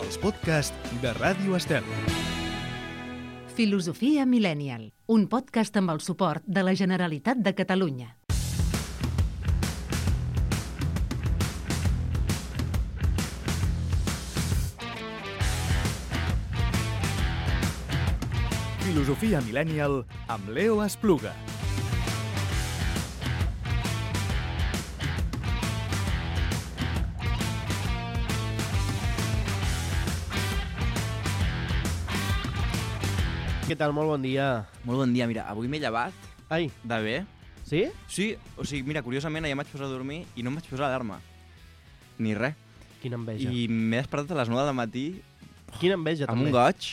els podcasts de Ràdio Estel. Filosofia Millennial, un podcast amb el suport de la Generalitat de Catalunya. Filosofia Millennial amb Leo Espluga. Què tal? Molt bon dia. Molt bon dia. Mira, avui m'he llevat Ai, de bé. sí? Sí, o sigui, mira, curiosament, ahir em vaig posar a dormir i no em vaig posar l'alarma. Ni res. Quina enveja. I m'he despertat a les 9 del matí Quina enveja, amb també. un goig.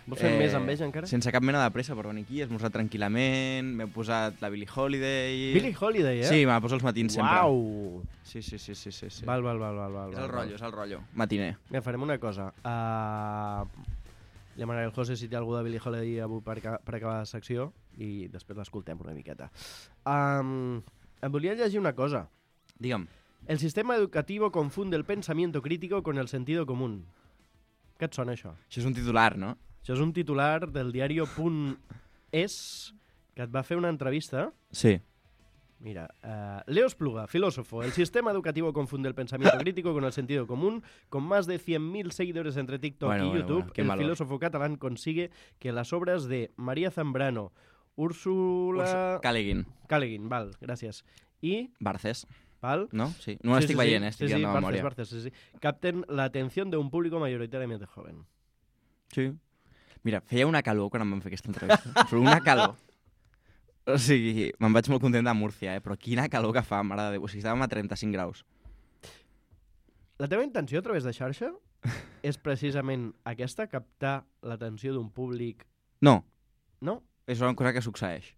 Vols fer més enveja, encara? Sense cap mena de pressa per venir aquí, he esmorzat tranquil·lament, m'he posat la Billie Holiday... Billie Holiday, eh? Sí, me la poso els matins sempre. Uau! Sí. Val. És el rotllo. Matiner. Mira, farem una cosa. Demanaré al José si té algú de Billie Holiday avui per acabar la secció i després l'escoltem una miqueta. Em volia llegir una cosa. Digue'm. El sistema educativo confunde el pensamiento crítico con el sentido común. Què et sona, això? Això és un titular, no? Això és un titular del diario.es que et va fer una entrevista. Sí. Mira, Leo Espluga, filósofo. El sistema educativo confunde el pensamiento crítico con el sentido común. Con más de 100.000 seguidores entre TikTok y YouTube, qué el valor. filósofo catalán consigue que las obras de María Zambrano, Úrsula... Caleguin, val, gràcies. I... Barces, Val? no? Sí. No l'estic veient, estic dient de memòria. Barces, capten la atención de un público mayoritariamente joven. Sí. Mira, feia una calor quan em van fer aquesta entrevista. Però una calor. O sigui, me'n vaig molt content de Múrcia, però quina calor que fa, mare de Déu. O sigui, estàvem a 35 graus. La teva intenció a través de xarxa és precisament aquesta, captar l'atenció d'un públic... No, No? és una cosa que succeeix.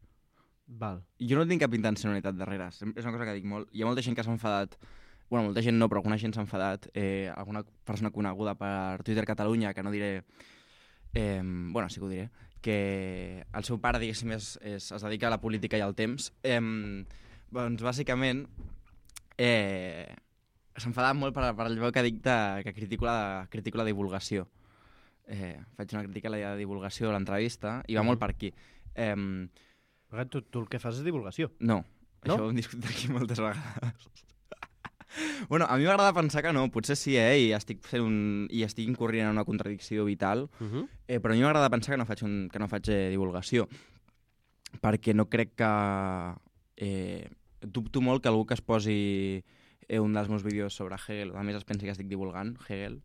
Val. Jo no tinc cap intencionalitat darrere. És una cosa que dic molt. Hi ha molta gent que s'ha enfadat. Bueno, molta gent no, però alguna gent s'ha enfadat. Alguna persona coneguda per Twitter Catalunya, que no diré... bueno, sí que ho diré. Que el seu pare, diguéssim, es dedica a la política i al temps. Doncs, bàsicament, s'ha enfadat molt per allò que dic que critico la divulgació. Faig una crítica a la divulgació de l'entrevista i va molt per aquí. Tu el que fas és divulgació. No, No? això ho hem discutit aquí moltes vegades. Bueno, a mi m'agrada pensar que no, potser sí, i estic incorrent en una contradicció vital, però a mi m'agrada pensar que no faig divulgació, perquè no crec que... dubto molt que algú que es posi un dels meus vídeos sobre Hegel, a més es pensi que estic divulgant Hegel,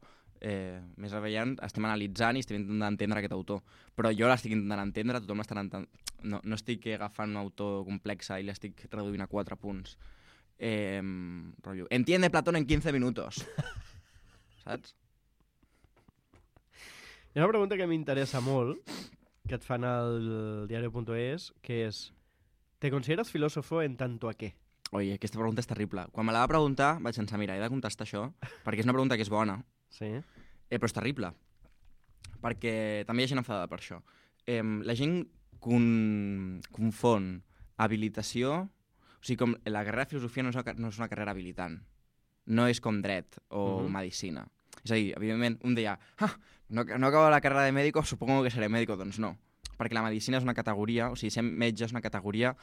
més aviat estem analitzant i estem intentant entendre aquest autor, però jo l'estic intentant entendre, tothom l'està entenent, no estic agafant un autor complex i l'estic reduint a 4 punts. Rotllo, entiende Platón en 15 minutos. Saps? Hi ha una pregunta que m'interessa molt, que et fan al diario.es, que és: ¿te consideras filósofo en tanto a qué? Oi, aquesta pregunta és terrible. Quan me la va preguntar vaig pensar, mira, he de contestar això, perquè és una pregunta que és bona, Sí. però és terrible, perquè també hi ha gent enfadada per això. La gent confon habilitació... O sigui, com la carrera de filosofia no és una carrera habilitant. No és com dret o medicina. És a dir, evidentment, un deia, no acabo la carrera de médico, supongo que seré médico. Doncs no, perquè la medicina és una categoria, o sigui, ser metge és una categoria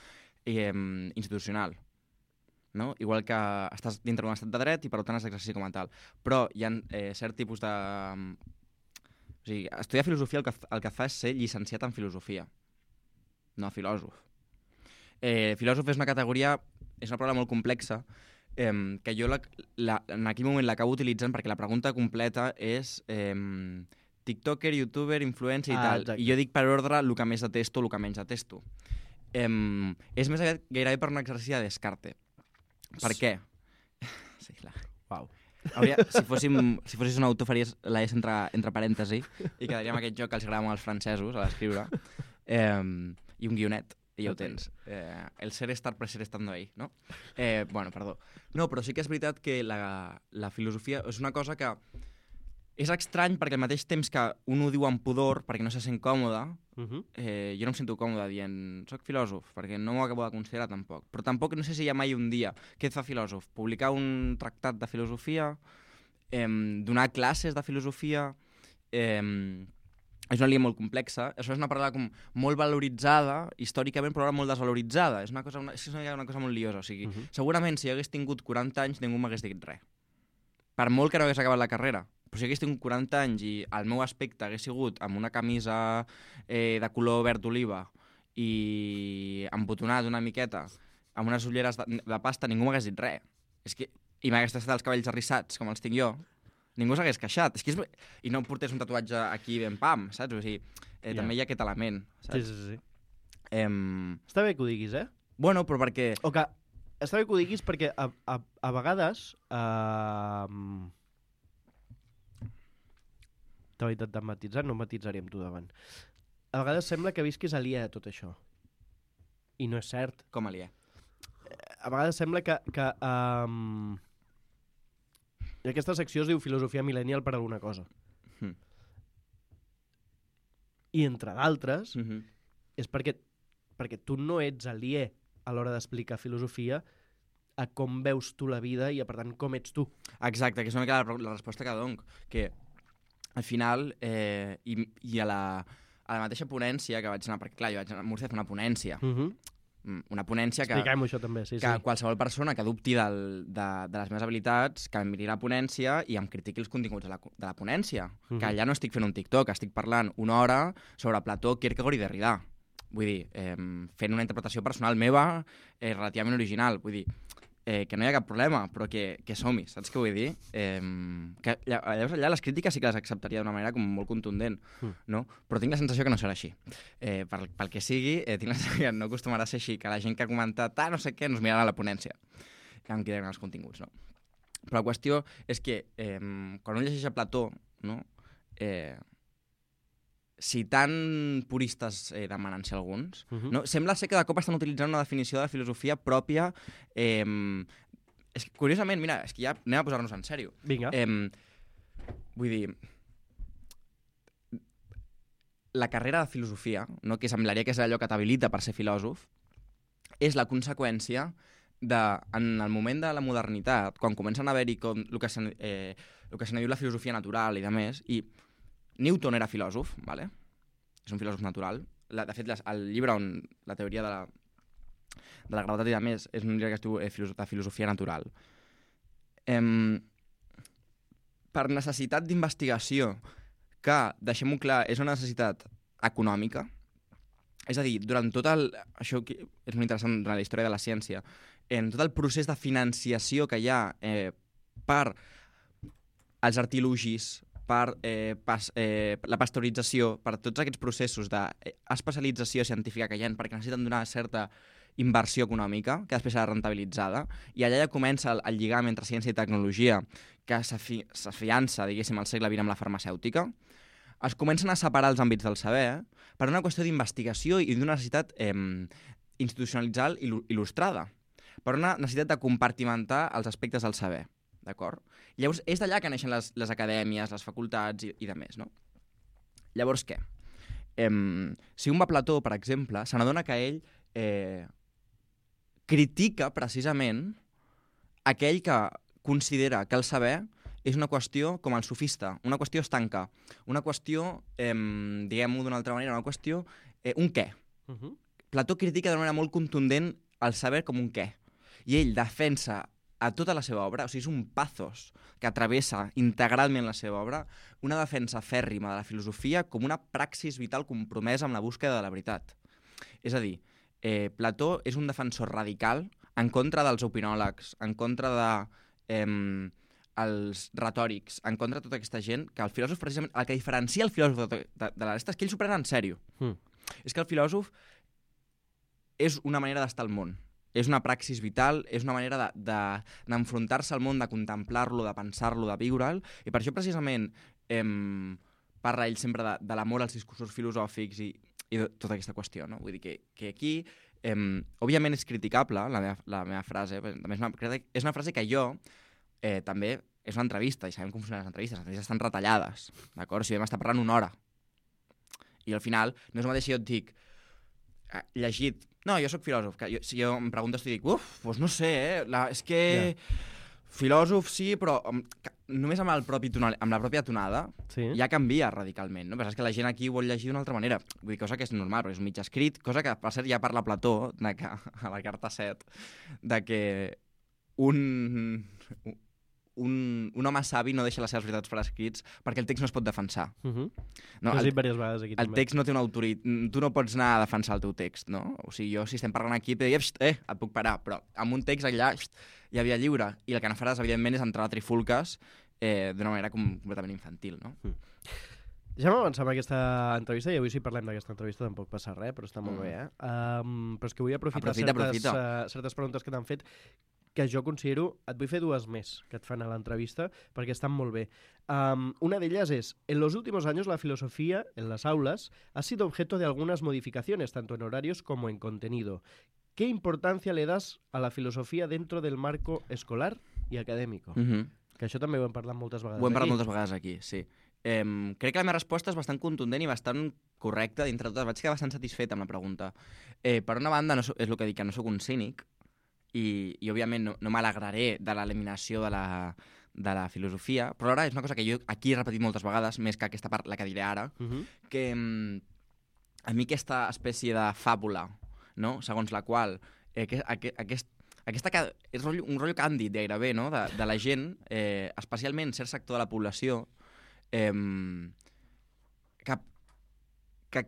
institucional. No? Igual que estàs dintre d'un estat de dret i per tant has d'exercir com a tal. Però hi ha cert tipus de... O sigui, estudiar filosofia el que fa és ser llicenciat en filosofia, no filòsof. Filòsof és una categoria, és una paraula molt complexa, que jo en aquell moment l'acabo utilitzant perquè la pregunta completa és tiktoker, youtuber, influencer i tal. Exacte. I jo dic per ordre el que més detesto, el que menys detesto. És més aviat gairebé per un exercici de Descartes. Per què? Sí, clar. Uau. Si fossis un autor faries la S entre parèntesi i quedaria amb aquest joc que els agrada molt als francesos a l'escriure, i un guionet. I ja ho tens. El ser estar per ser estando ahí, no? Bueno, perdó. No, però sí que és veritat que la filosofia és una cosa que és estrany perquè al mateix temps que un ho diu amb pudor perquè no se sent còmode, jo no em sento còmode dient soc filòsof, perquè no m'ho acabo de considerar tampoc. Però tampoc no sé si hi ha mai un dia què et fa filòsof. Publicar un tractat de filosofia, donar classes de filosofia és una línia molt complexa. Això és una paraula com molt valoritzada, històricament, però ara molt desvaloritzada. És una cosa molt liosa. O sigui, segurament si hagués tingut 40 anys ningú m'hagués dit res. Per molt que no hagués acabat la carrera. Però si hagués tingut 40 anys i el meu aspecte hagués sigut amb una camisa de color verd oliva i embotonat una miqueta, amb unes ulleres de pasta, ningú m'hagués dit res. I m'hagués tastat els cabells arrissats, com els tinc jo, ningú s'hagués queixat. I no em portés un tatuatge aquí ben pam, saps? O sigui, també hi ha aquest element, saps? Sí. Està bé que ho diguis, Bueno, però perquè... Està bé que ho diguis perquè a vegades... T'ho he intentat matisar, no matisaré amb tu davant. A vegades sembla que visquis aliè a tot això. I no és cert. Com aliè? A vegades sembla que aquesta secció es diu Filosofia Millennial per alguna cosa. I entre d'altres és perquè tu no ets aliè a l'hora d'explicar filosofia a com veus tu la vida i, per tant, com ets tu. Exacte, que és una mica la resposta que dono. Que al final, i a la mateixa ponència que vaig anar, perquè clar, jo vaig anar a Múrcia a fer una ponència. Una ponència que... Expliquem-ho això també, sí. Qualsevol persona que dubti de les meves habilitats, que em miri la ponència i em critiqui els continguts de la ponència. Que allà no estic fent un TikTok, estic parlant una hora sobre Plató, Kierkegaard i Derrida. Vull dir, fent una interpretació personal meva relativament original. Vull dir, que no hi ha cap problema, però que som-hi, saps què vull dir? Que llavors allà les crítiques sí que les acceptaria d'una manera com molt contundent, no? Però tinc la sensació que no serà així. Pel que sigui, tinc la sensació que no acostumarà a ser així, que la gent que ha comentat no sé què, ens mirarà a la ponència, que em queden els continguts, no? Però la qüestió és que quan un llegeix a Plató, no? Si tan puristes demanen ser alguns, no? Sembla ser que de cop estan utilitzant una definició de filosofia pròpia. És que, curiosament, mira, és que ja anem a posar-nos en sèrio. Vinga. Vull dir, la carrera de filosofia, no? Que semblaria que és allò que t'habilita per ser filòsof, és la conseqüència en el moment de la modernitat, quan comencen a haver-hi el que se n'ha dit la filosofia natural i de més, i Newton era filòsof, vale? És un filòsof natural. De fet, el llibre on la teoria de la gravetat i de més és un llibre que es diu de filosofia natural. Per necessitat d'investigació, que, deixem-ho clar, és una necessitat econòmica, és a dir, durant tot això és molt interessant durant la història de la ciència, en tot el procés de financiació que hi ha per els artilugis, per la pasteurització, per tots aquests processos d'especialització científica que hi ha, perquè necessiten donar certa inversió econòmica, que després serà rentabilitzada, i allà ja comença el lligam entre ciència i tecnologia, que s'afiança, diguéssim, al segle XX amb la farmacèutica. Es comencen a separar els àmbits del saber per una qüestió d'investigació i d'una necessitat institucionalitzada il·lustrada, per una necessitat de compartimentar els aspectes del saber. D'acord? Llavors, és d'allà que neixen les acadèmies, les facultats i de més, no? Llavors, què? Si un va a Plató, per exemple, se n'adona que ell critica precisament aquell que considera que el saber és una qüestió com el sofista, una qüestió estanca, una qüestió, diguem-ho d'una altra manera, una qüestió, un què. Plató critica d'una manera molt contundent el saber com un què. I ell defensa a tota la seva obra, o sigui, és un pathos que travessa integralment la seva obra, una defensa fèrrima de la filosofia com una praxis vital compromesa amb la búsqueda de la veritat. És a dir, Plató és un defensor radical en contra dels opinòlegs, en contra dels retòrics, en contra de tota aquesta gent, que el filòsof, precisament, el que diferencia el filòsof de la resta és que ell s'ho pren en sèrio. És que el filòsof és una manera d'estar al món. És una praxis vital, és una manera d'enfrontar-se al món, de contemplar-lo, de pensar-lo, de viure'l, i per això precisament parla ell sempre de l'amor als discursos filosòfics i tota aquesta qüestió, no? Vull dir que aquí, òbviament és criticable la meva frase, és una frase que jo també és una entrevista, i sabem com funcionen les entrevistes estan retallades, d'acord? Si vam estar parlant una hora, i al final no és el mateix si jo et dic llegit. No, jo sóc filòsof. Si jo em preguntes i dic, doncs no sé, és que Filòsof sí, però només amb la pròpia tonada ja canvia radicalment, no? Però és que la gent aquí ho vol llegir d'una altra manera. Vull dir, cosa que és normal, però és mig escrit, cosa que, per cert, ja parla Plató, a la carta 7, de que un home savi no deixa les seves veritats per escrits perquè el text no es pot defensar. No, has dit diverses vegades aquí. El text no té una autoritat. Tu no pots anar a defensar el teu text, no? O sigui, jo, si estem parlant aquí, et diria, et puc parar, però amb un text allà hi havia lliure, i el que no faràs, evidentment, és entrar a trifulques d'una manera completament infantil, no? Ja m'avancem a aquesta entrevista, i avui si parlem d'aquesta entrevista tampoc passa res, però està molt bé, però és que vull aprofitar certes preguntes que t'han fet, que yo considero, et voy a hacer dues més que et fan a l'entrevista, perquè estan molt bé. Una de ellas es, en los últimos años la filosofía en las aulas ha sido objeto de algunas modificaciones, tanto en horarios como en contenido. ¿Qué importancia le das a la filosofía dentro del marco escolar y académico? Que això també ho hem parlat moltes vegades aquí. Ho hem parlat moltes vegades aquí, sí. Crec que la meva resposta és bastant contundent i bastant correcta dintre de totes. Vaig quedar bastant satisfet amb la pregunta. Per una banda, és el que dic, que no sóc un cínic, i òbviament no m'alegraré de l'eliminació de la filosofia, però ara és una cosa que jo aquí he repetit moltes vegades, més que aquesta part, la que diré ara, que a mi aquesta espècie de fàbula, no? Segons la qual aquesta és un rotllo càndid gairebé, no? De la gent, especialment cert sector de la població, que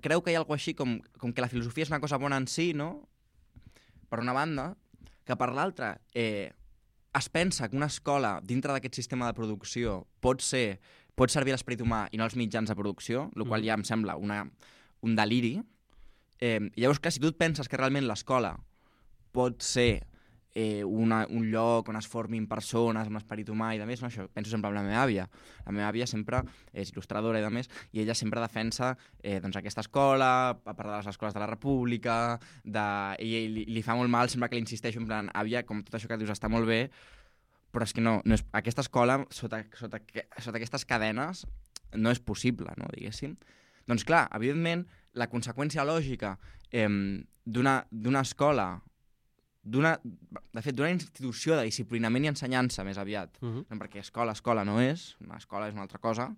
creu que hi ha alguna així com que la filosofia és una cosa bona en si, no? Per una banda, que per l'altra es pensa que una escola dintre d'aquest sistema de producció pot servir l'esperit humà i no els mitjans de producció, el qual ja em sembla un deliri. Llavors, clar, si tu et penses que realment l'escola pot ser un lloc on es formin persones amb l'esperit humà i de més, no? Això penso sempre en la meva àvia. La meva àvia sempre és il·lustradora i de més, i ella sempre defensa aquesta escola, a part de les escoles de la República, i li fa molt mal sempre que li insisteixo en plan, àvia, com tot això que dius està molt bé, però és que no és, aquesta escola, sota aquestes cadenes, no és possible, no, diguéssim. Doncs clar, evidentment, la conseqüència lògica d'una escola, de fet, d'una institució de disciplinament i ensenyança, més aviat, perquè escola no és, una escola és una altra cosa,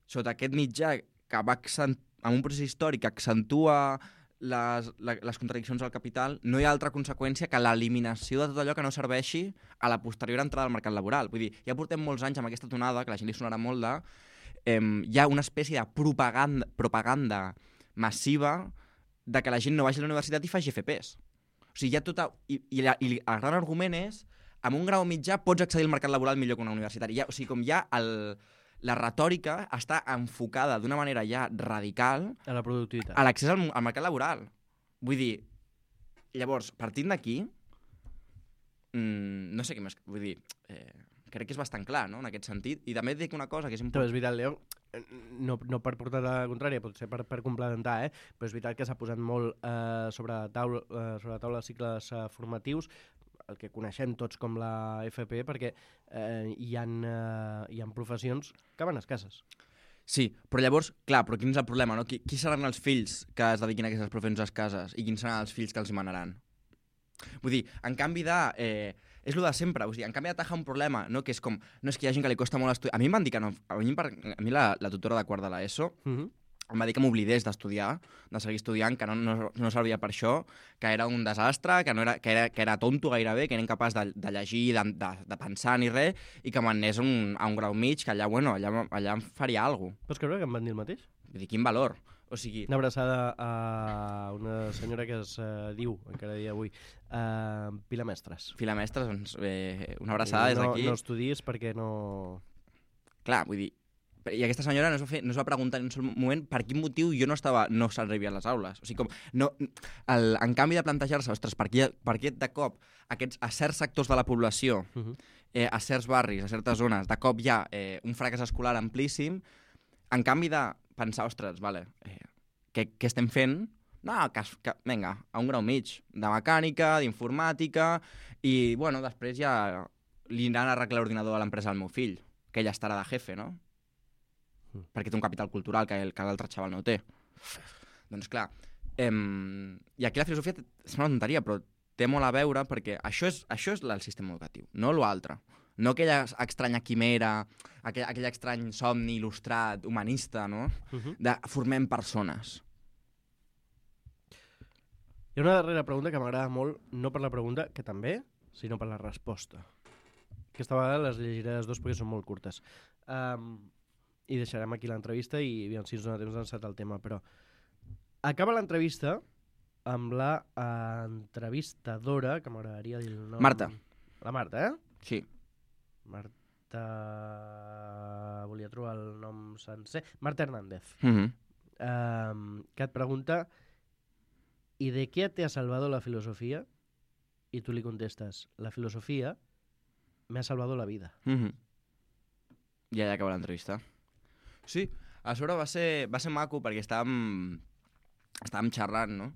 sota aquest mitjà que va amb un procés històric que accentua les contradiccions del capital, no hi ha altra conseqüència que l'eliminació de tot allò que no serveixi a la posterior entrada al mercat laboral. Vull dir, ja portem molts anys amb aquesta tonada, que la gent li sonarà molt hi ha una espècie de propaganda massiva de que la gent no vagi a la universitat i faci FPs. O sigui, i el gran argument és, amb un grau mitjà pots accedir al mercat laboral millor que una universitari. O sigui, com ja la retòrica està enfocada d'una manera ja radical a la productivitat, a l'accés al mercat laboral. Vull dir, llavors, partint d'aquí, no sé què més... Vull dir, crec que és bastant clar, no?, en aquest sentit. I també et dic una cosa que és important... Però és veritat, Leo, no per portar la contrària, potser per complementar, però és veritat que s'ha posat molt sobre la taula cicles formatius, el que coneixem tots com la FP, perquè hi ha professions que van escasses. Sí, però llavors, clar, però quin és el problema, no? Qui seran els fills que es dediquin a aquestes professions escasses i quins seran els fills que els hi manaran? Vull dir, en canvi és el de sempre, en canvi d'atajar un problema, no? Que és com, no és que hi ha gent que li costa molt estudiar. A mi em van dir que no, a mi la tutora de quart de l'ESO em va dir que m'oblidés d'estudiar, de seguir estudiant, que no servia per això, que era un desastre, que era tonto gairebé, que era incapaç de llegir, de pensar ni res, i que m'anés a un grau mig, que allà em faria alguna cosa. Pots creure que em van dir el mateix? Vull dir, quin valor. O sigui... Una abraçada a una senyora que es diu, encara dia avui, Pilar Mestres. Pilar Mestres, doncs una abraçada des d'aquí. No estudies perquè no... Clar, vull dir, i aquesta senyora no es va preguntar en un sol moment per quin motiu jo no s'arribia a les aules. O sigui, en canvi de plantejar-se, ostres, per què de cop a certs sectors de la població, a certs barris, a certes zones, de cop hi ha un fracàs escolar amplíssim, en canvi de pensar, ostres, vale, què estem fent? No, vinga, a un grau mig, de mecànica, d'informàtica, i, bueno, després ja li aniran a arreglar l'ordinador a l'empresa del meu fill, que ella estarà de jefe, no? Perquè té un capital cultural que l'altre xaval no té. Doncs clar, i aquí la filosofia és una tonteria, però té molt a veure perquè això és el sistema educatiu, no l'altre. No aquella estranya quimera, aquell estrany somni il·lustrat, humanista, no? De formem persones. Hi ha una darrera pregunta que m'agrada molt, no per la pregunta, que també, sinó per la resposta. Aquesta vegada les llegiré les dues perquè són molt curtes. I deixarem aquí l'entrevista i aviam si ens dona temps d'encetar el tema, però acaba l'entrevista amb la entrevistadora, que m'agradaria dir el nom... Marta. La Marta, Sí. Marta... Volia trobar el nom sencer. Marta Hernández. Que et pregunta ¿y de qué te ha salvado la filosofía? Y tú le contestas, la filosofía me ha salvado la vida. I allà acaba l'entrevista. Sí, a sobre va ser maco perquè estàvem xerrant, no?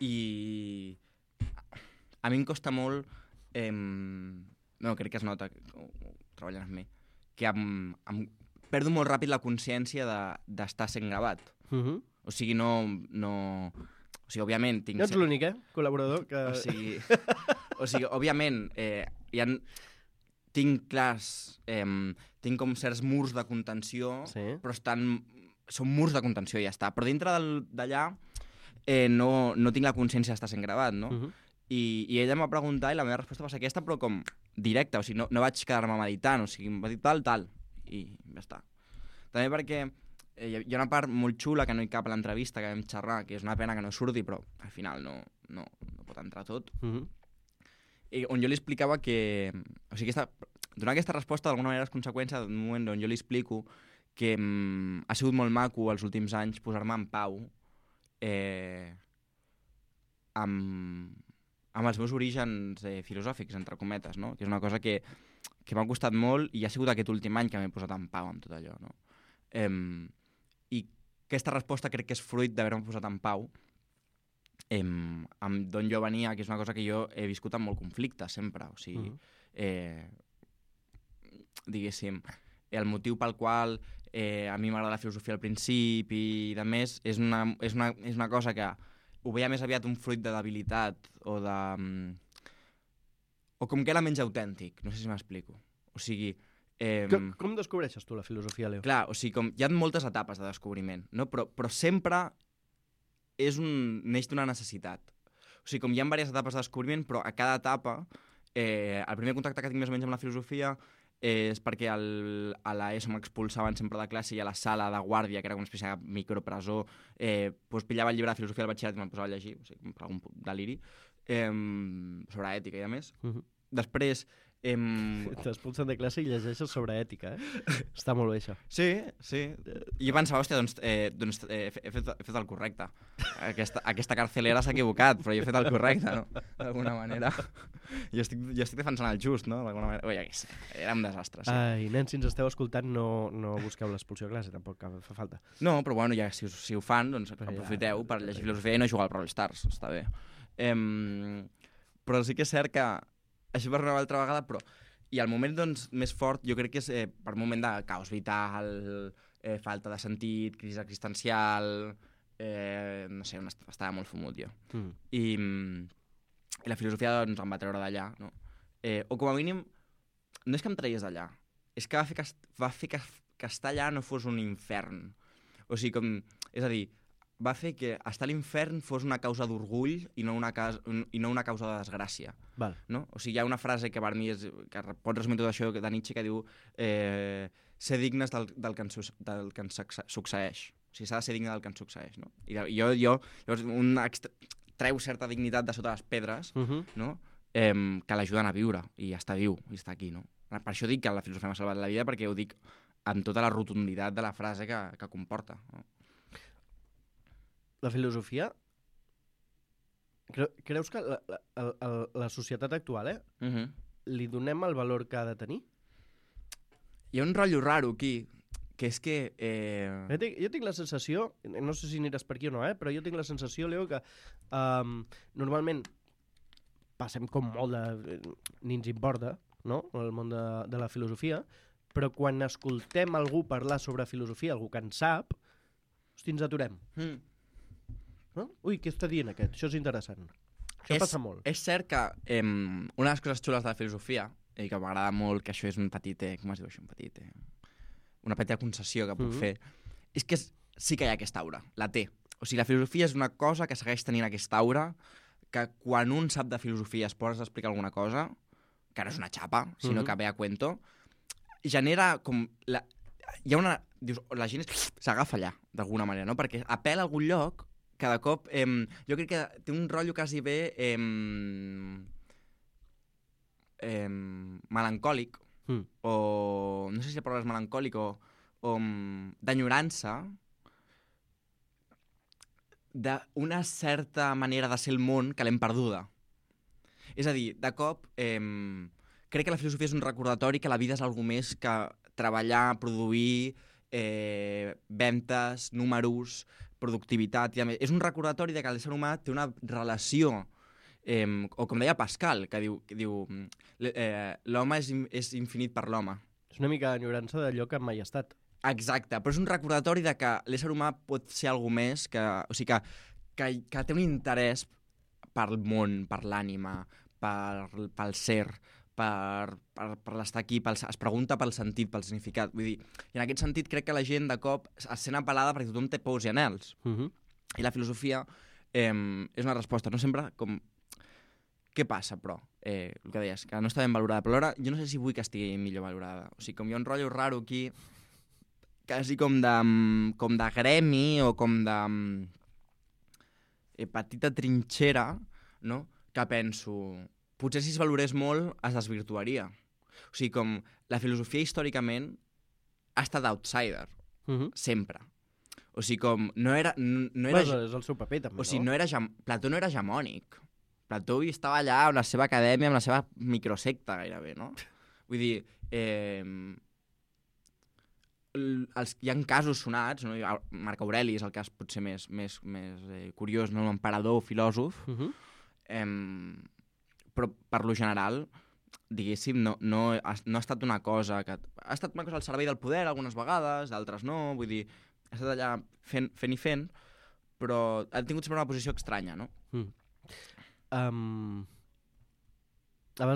I a mi em costa molt, no, crec que es nota, treballant amb mi, que em perdo molt ràpid la consciència d'estar sent gravat. O sigui, no... O sigui, òbviament... No ets l'únic, col·laborador que... O sigui, òbviament, tinc clars... tinc com certs murs de contenció, però són murs de contenció i ja està. Però dintre d'allà no tinc la consciència d'estar sent gravat, no? I ella em va preguntar i la meva resposta va ser aquesta, però com directa, o sigui, no vaig quedar-me meditant, o sigui, em va dir tal, i ja està. També perquè hi ha una part molt xula que no hi cap a l'entrevista, que vam xerrar, que és una pena que no surti, però al final no pot entrar tot. I on jo li explicava que... O sigui, donar aquesta resposta d'alguna manera és conseqüència d'un moment on jo li explico que ha sigut molt maco els últims anys posar-me en pau amb els meus orígens filosòfics, entre cometes, no? Que és una cosa que m'ha costat molt i ha sigut aquest últim any que m'he posat en pau amb tot allò, no? I aquesta resposta crec que és fruit d'haver-me posat en pau amb d'on jo venia, que és una cosa que jo he viscut amb molt conflicte sempre, o sigui, diguéssim, el motiu pel qual a mi m'agrada la filosofia al principi i de més és una cosa que ho veia més aviat un fruit de debilitat o com que era menys autèntic, no sé si m'explico. O sigui... Com descobreixes tu la filosofia, Leo? Clar, o sigui, hi ha moltes etapes de descobriment, no? Però sempre neix d'una necessitat. O sigui, com hi ha diverses etapes de descobriment, però a cada etapa, el primer contacte que tinc més o menys amb la filosofia és perquè a l'ESO m'expulsaven sempre de classe i a la sala de guàrdia, que era una espècie de micropresó, doncs pillava el llibre de filosofia del batxillerat i me'l posava a llegir, o sigui, per algun deliri, sobre ètica i a més. Després... T'expulsen de classe i llegeixes sobre ètica, Està molt bé, això. Sí. I jo pensava, hòstia, doncs he fet el correcte. Aquesta carcelera s'ha equivocat, però jo he fet el correcte, no? D'alguna manera. Jo estic defensant el just, no? D'alguna manera. Ui, era un desastre, sí. Ai, nens, si ens esteu escoltant, no busqueu l'expulsió a classe, tampoc fa falta. No, però bueno, ja si ho fan, doncs aprofiteu per llegir filosofia i no jugar al Brawl Stars, està bé. Però sí que és cert que això per una altra vegada, però... I el moment doncs, més fort jo crec que és per un moment de caos vital, falta de sentit, crisi existencial... no sé, estava molt fumut jo. I la filosofia doncs, em va treure d'allà, no? O com a mínim, no és que em tragués d'allà, és que va fer que estar allà no fos un infern. O sigui, és a dir, va fer que estar a l'infern fos una causa d'orgull i no una causa de desgràcia. Val. No? O sigui, hi ha una frase que per mi que pot resumir tot això de Nietzsche que diu ser dignes del que ens succeeix. O sigui, s'ha de ser digne del que ens succeeix. No? I llavors treu certa dignitat de sota les pedres, no? Que l'ajuden a viure i està viu i està aquí. No? Per això dic que la filosofia m'ha salvat la vida, perquè ho dic amb tota la rotunditat de la frase que comporta. No? La filosofia... Creus que la societat actual, li donem el valor que ha de tenir? Hi ha un rotllo raro aquí, que és que... Jo tinc la sensació, no sé si aniràs per aquí o no, però jo tinc la sensació, Leo, que normalment passem com molt de... ni ens importa, no?, el món de la filosofia, però quan escoltem algú parlar sobre filosofia, algú que en sap, hosti, ens aturem. No? Ui, què està dient aquest? Això és interessant. Això passa molt. És cert que una de les coses xules de la filosofia i que m'agrada molt, que això és un petit... com es diu això? Una petita concessió que puc fer. És que sí que hi ha aquesta aura, la té. O sigui, la filosofia és una cosa que segueix tenint aquesta aura, que quan un sap de filosofia es posa a explicar alguna cosa, que no és una xapa, sinó que ve a cuento, genera com... Hi ha una... Dius, la gent s'agafa allà, d'alguna manera, no? Perquè apel·la a algun lloc, cada cop... jo crec que té un rotllo quasi bé melancòlic, o... No sé si la paraula és melancòlic o d'enyorança, d'una certa manera de ser el món que l'hem perduda. És a dir, de cop, crec que la filosofia és un recordatori que la vida és alguna més que treballar, produir, ventes, números, productivitat. És un recordatori de que l'ésser humà té una relació, o com deia Pascal, que diu l'home és infinit per l'home. És una mica d'enyorança d'allò que mai ha estat. Exacte, però és un recordatori de que l'ésser humà pot ser alguna més, o sigui, que té un interès pel món, per l'ànima, pel ser, per l'estar aquí, es pregunta pel sentit, pel significat. Vull dir, i en aquest sentit crec que la gent de cop es sent apel·lada perquè tothom té pors i anhels. I la filosofia és una resposta, no sempre com... Què passa, però? El que deies, que no està ben valorada, però alhora jo no sé si vull que estigui millor valorada. O sigui, com hi ha un rotllo raro aquí, quasi com de gremi o com de petita trinxera, no? Que penso... Potser si es valorés molt es desvirtuaria. O sigui, com la filosofia històricament ha estat outsider, sempre. O sigui, com no era... És el seu paper, també, no? O sigui, Plató no era hegemònic. Plató estava allà amb la seva acadèmia, amb la seva microsecta, gairebé, no? Vull dir, hi ha casos sonats, no? Marc Aureli és el cas potser més curiós, no? L'emperador, filòsof, però per lo general, diguéssim, no ha estat una cosa que... Ha estat una cosa al servei del poder algunes vegades, d'altres no, vull dir, ha estat allà fent, però ha tingut sempre una posició estranya, no? Abans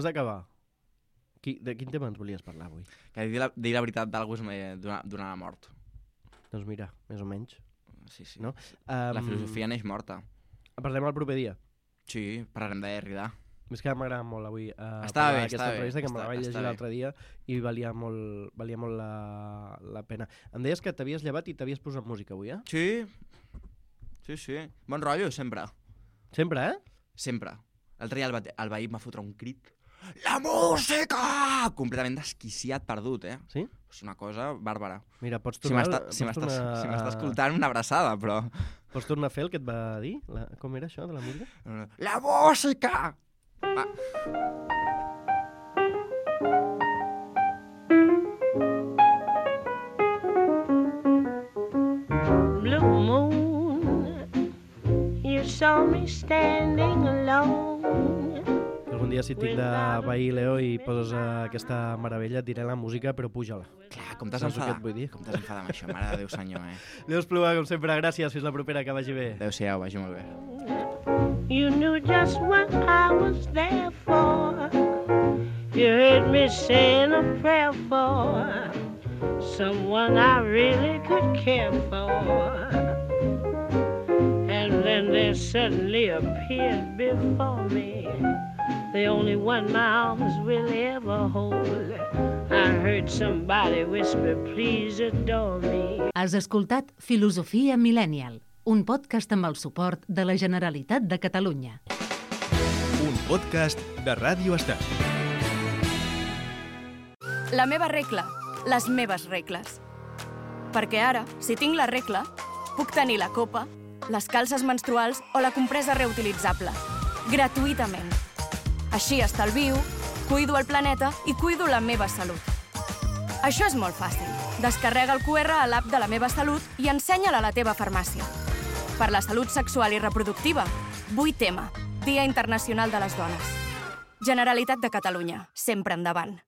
d'acabar, de quin tema ens volies parlar avui? Que dir la veritat d'algú és donar la mort. Doncs mira, més o menys. Sí. No? La filosofia neix morta. Parlem el proper dia? Sí, parlarem de Derrida. És que m'agrada molt avui aquesta entrevista, que me la vaig llegir l'altre dia i valia molt la pena. Em deies que t'havies llevat i t'havies posat música avui, eh? Sí. Bon rotllo, sempre. Sempre, eh? Sempre. L'altre dia el veí va fotre un crit. La música! Completament desquiciat, perdut, eh? Sí? És una cosa bàrbara. Mira, pots tornar... Si m'està escoltant, una abraçada, però... Pots tornar a fer el que et va dir? Com era això, de la música? La música! Blue moon, you saw me standing alone. Algun dia si tinc de veí Leo i poses aquesta meravella et diré la música, però puja-la. Clar, com t'has enfadat? Com t'has enfadat amb això, mare de Déu senyor, Leo Espluga, com sempre, gràcies, fins la propera, que vagi bé. Adéu-siau, vagi molt bé. You knew just what I was there for. You heard me saying a prayer for someone I really could care for. And then there suddenly appeared before me the only one my arms will ever hold. I heard somebody whisper, please adore me. Has escoltat Filosofia Millennial, un podcast amb el suport de la Generalitat de Catalunya. Un podcast de Ràdio Estat. La meva regla, les meves regles. Perquè ara, si tinc la regla, puc tenir la copa, les calces menstruals o la compresa reutilitzable. Gratuïtament. Així estalvio, cuido el planeta i cuido la meva salut. Això és molt fàcil. Descarrega el QR a l'app de la meva salut i ensenya-la a la teva farmàcia. Per la salut sexual i reproductiva, 8M, Dia Internacional de les Dones. Generalitat de Catalunya, sempre endavant.